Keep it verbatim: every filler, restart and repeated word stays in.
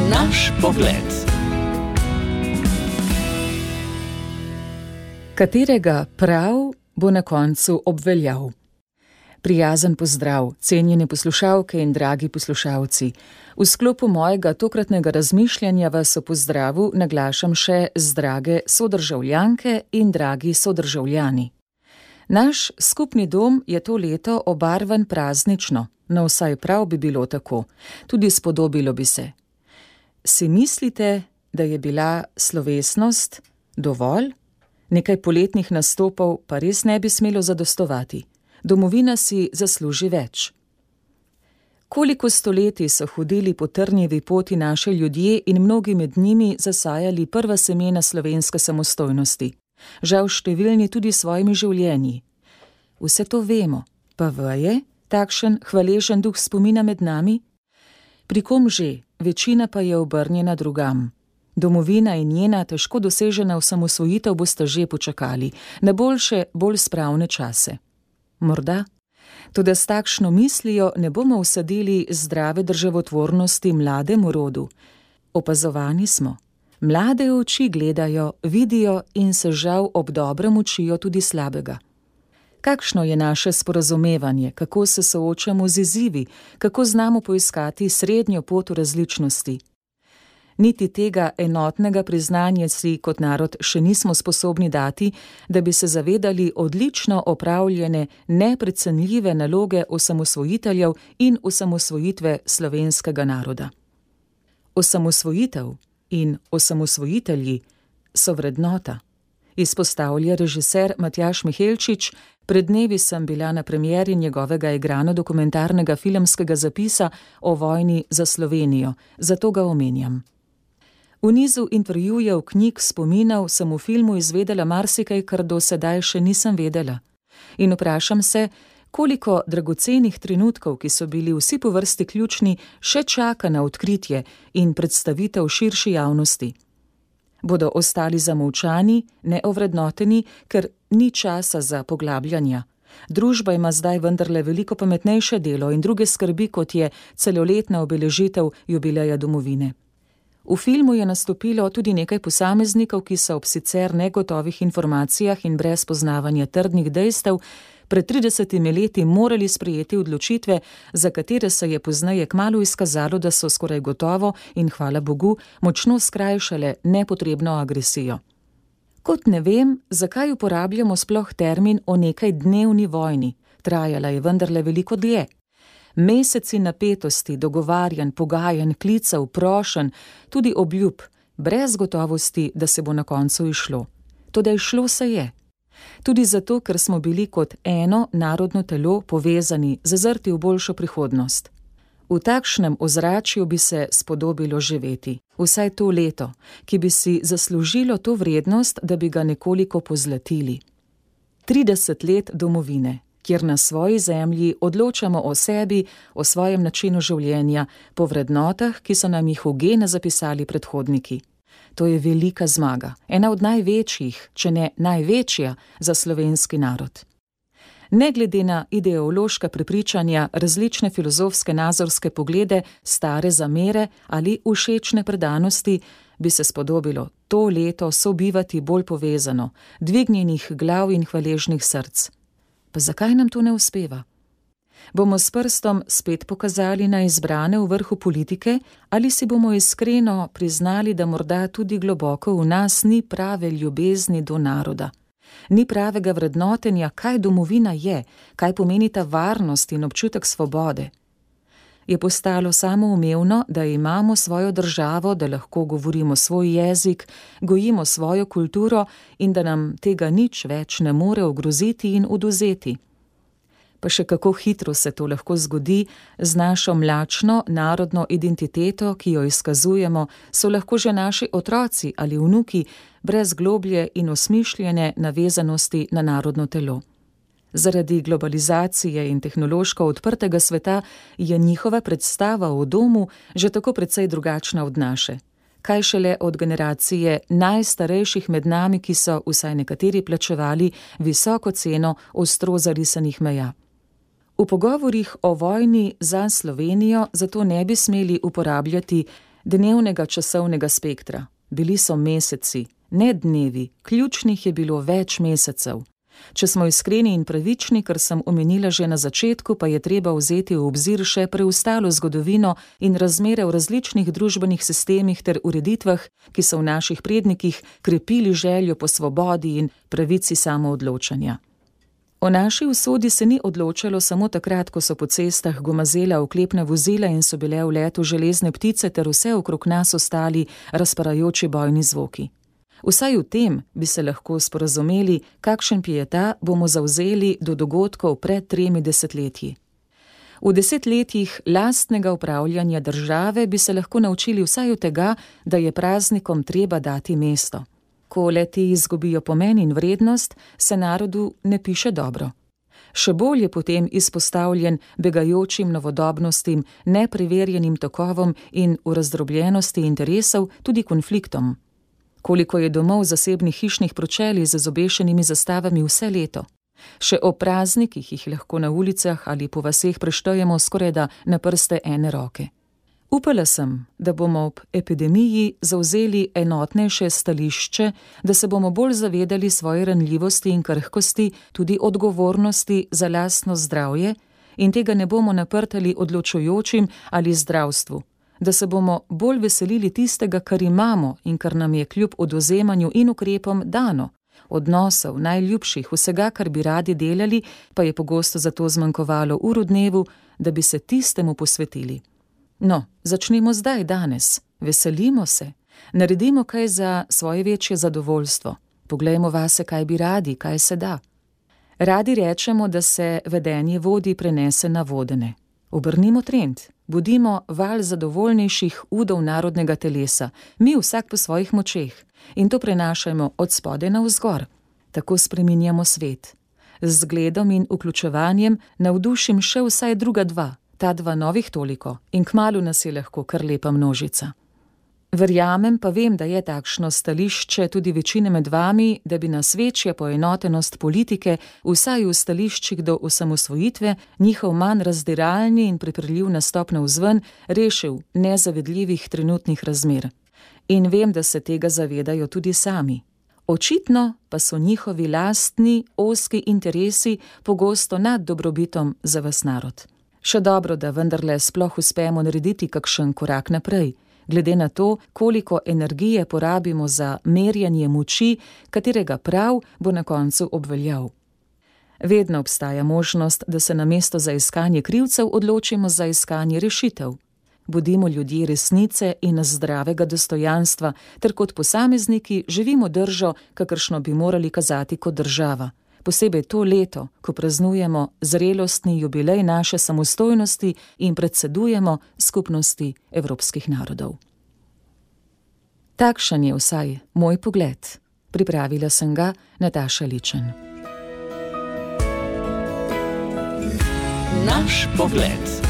Naš pogled. Katerega prav bo na koncu obveljal? Prijazen pozdrav, cenjene poslušalke in dragi poslušalci. V sklopu mojega tokratnega razmišljanja vas o pozdravu naglašam še z drage sodržavljanke in dragi sodržavljani. Naš skupni dom je to leto obarvan praznično, no vsaj prav bi bilo tako, tudi spodobilo bi se. Si mislite, da je bila slovesnost dovolj? Nekaj poletnih nastopov pa res ne bi smelo zadostovati. Domovina si zasluži več. Koliko stoletij so hodili po trnjevi poti naše ljudje in mnogi med njimi zasajali prva semena slovenske samostojnosti. Žal številni tudi svojimi življenji. Vse to vemo, pa veje takšen hvaležen duh spomina med nami? Pri kom že, večina pa je obrnjena drugam. Domovina in njena težko dosežena osamosvojitev boste že počakali, na boljše, bolj spravne čase. Morda? Toda s takšno mislijo ne bomo usadili zdrave državotvornosti mlademu rodu. Opazovani smo. Mlade oči gledajo, vidijo in se žal ob dobrem učijo tudi slabega. Kakšno je naše sporazumevanje, kako se soočamo z izzivi, kako znamo poiskati srednjo pot v različnosti? Niti tega enotnega priznanja si kot narod še nismo sposobni dati, da bi se zavedali odlično opravljene, neprecenljive naloge osamosvojiteljev in osamosvojitve slovenskega naroda. Osamosvojitev in osamosvojitelji so vrednota, izpostavlja režiser Matjaž Mihelčič. Pred dnevi sem bila na premieri njegovega igrano-dokumentarnega filmskega zapisa o vojni za Slovenijo, zato ga omenjam. V nizu intervjujev, knjig, spominov sem v filmu izvedela marsikaj, kar do sedaj še nisem vedela. In vprašam se, koliko dragocenih trenutkov, ki so bili vsi po vrsti ključni, še čaka na odkritje in predstavitev širši javnosti. Bodo ostali zamolčani, neovrednoteni, ker ni časa za poglabljanja. Družba ima zdaj vendarle veliko pametnejše delo in druge skrbi, kot je celoletna obeležitev jubileja domovine. V filmu je nastopilo tudi nekaj posameznikov, ki so ob sicer negotovih informacijah in brez poznavanja trdnih dejstev pred tridesetimi leti morali sprejeti odločitve, za katere se je pozneje kmalu izkazalo, da so skoraj gotovo in hvala Bogu močno skrajšale nepotrebno agresijo. Kot ne vem, zakaj uporabljamo sploh termin o nekaj dnevni vojni, trajala je vendarle veliko dlje. Meseci napetosti, dogovarjanj, pogajanj, klicev, prošenj, tudi obljub, brez gotovosti, da se bo na koncu izšlo. Toda izšlo se je. Tudi zato, ker smo bili kot eno narodno telo povezani, zazrti v boljšo prihodnost. V takšnem ozračju bi se spodobilo živeti, vsaj to leto, ki bi si zaslužilo to vrednost, da bi ga nekoliko pozlatili. trideset let domovine, kjer na svoji zemlji odločamo o sebi, o svojem načinu življenja, po vrednotah, ki so nam jih v gene zapisali predhodniki. To je velika zmaga, ena od največjih, če ne največja, za slovenski narod. Ne glede na ideološka prepričanja, različne filozofske nazorske poglede, stare zamere ali všečne predanosti, bi se spodobilo to leto sobivati bolj povezano, dvignjenih glav in hvaležnih src. Pa zakaj nam to ne uspeva? Bomo s prstom spet pokazali na izbrane v vrhu politike ali si bomo iskreno priznali, da morda tudi globoko v nas ni prave ljubezni do naroda? Ni pravega vrednotenja, kaj domovina je, kaj pomeni ta varnost in občutek svobode. Je postalo samoumevno, da imamo svojo državo, da lahko govorimo svoj jezik, gojimo svojo kulturo in da nam tega nič več ne more ogroziti in odvzeti. Pa še kako hitro se to lahko zgodi z našo mlačno narodno identiteto, ki jo izkazujemo, so lahko že naši otroci ali vnuki brez globlje in osmišljene navezanosti na narodno telo. Zaradi globalizacije in tehnološko odprtega sveta je njihova predstava o domu že tako precej drugačna od naše. Kaj šele od generacije najstarejših med nami, ki so vsaj nekateri plačevali visoko ceno ostro zarisanih meja. V pogovorih o vojni za Slovenijo zato ne bi smeli uporabljati dnevnega časovnega spektra. Bili so meseci, ne dnevi, ključnih je bilo več mesecev. Če smo iskreni in pravični, kar sem omenila že na začetku, pa je treba vzeti v obzir še preostalo zgodovino in razmere v različnih družbenih sistemih ter ureditvah, ki so v naših prednikih krepili željo po svobodi in pravici samoodločanja. O naši usodi se ni odločalo samo takrat, ko so po cestah gomazela oklepna vozila in so bile v letu železne ptice ter vse okrog nas ostali razparajoči bojni zvoki. Vsaj v tem bi se lahko sporazumeli, kakšen pieta bomo zavzeli do dogodkov pred tremi desetletji. V desetletjih lastnega upravljanja države bi se lahko naučili vsaj od tega, da je praznikom treba dati mesto. Ko le-ti izgubijo pomen in vrednost, se narodu ne piše dobro. Še bolj je potem izpostavljen begajočim novodobnostim, nepreverjenim tokovom in v razdrobljenosti interesov tudi konfliktom. Koliko je domov zasebnih hišnih pročelij z obešenimi zastavami vse leto. Še o praznikih jih lahko na ulicah ali po vaseh preštejemo skorajda na prste ene roke. Upala sem, da bomo ob epidemiji zavzeli enotnejše stališče, da se bomo bolj zavedali svoje ranljivosti in krhkosti, tudi odgovornosti za lastno zdravje in tega ne bomo naprtali odločujočim ali zdravstvu. Da se bomo bolj veselili tistega, kar imamo in kar nam je kljub oduzemanju in ukrepom dano. Odnosov, najljubših, vsega, kar bi radi delali, pa je pogosto zato zmanjkovalo ur v dnevu, da bi se tistemu posvetili. No, začnimo zdaj, danes. Veselimo se. Naredimo kaj za svoje večje zadovoljstvo. Poglejmo vase, kaj bi radi, kaj se da. Radi rečemo, da se vedenje vodi prenese na vodene. Obrnimo trend. Budimo val zadovoljnejših udov narodnega telesa, mi vsak po svojih močeh, in to prenašajmo od spodaj navzgor. Tako spreminjamo svet. Z zgledom in vključevanjem navdušim še vsaj druga dva, ta dva novih toliko, in kmalu nas je lahko kar lepa množica. Verjamem pa vem, da je takšno stališče tudi večine med vami, da bi nas večja poenotenost politike, vsaj v stališčih do osamosvojitve, njihov manj razdiralni in priprljiv nastop navzven, rešil nezavedljivih trenutnih razmer. In vem, da se tega zavedajo tudi sami. Očitno pa so njihovi lastni, ozki interesi pogosto nad dobrobitom za vas narod. Še dobro, da vendarle sploh uspemo narediti kakšen korak naprej, glede na to, koliko energije porabimo za merjanje moči, katerega prav bo na koncu obveljal. Vedno obstaja možnost, da se namesto za iskanje krivcev odločimo za iskanje rešitev. Bodimo ljudje resnice in zdravega dostojanstva, ter kot posamezniki živimo držo, kakršno bi morali kazati kot država. Posebej to leto, ko praznujemo zrelostni jubilej naše samostojnosti in predsedujemo skupnosti evropskih narodov. Takšen je vsaj moj pogled. Pripravila sem ga Nataša Ličen. Naš pogled.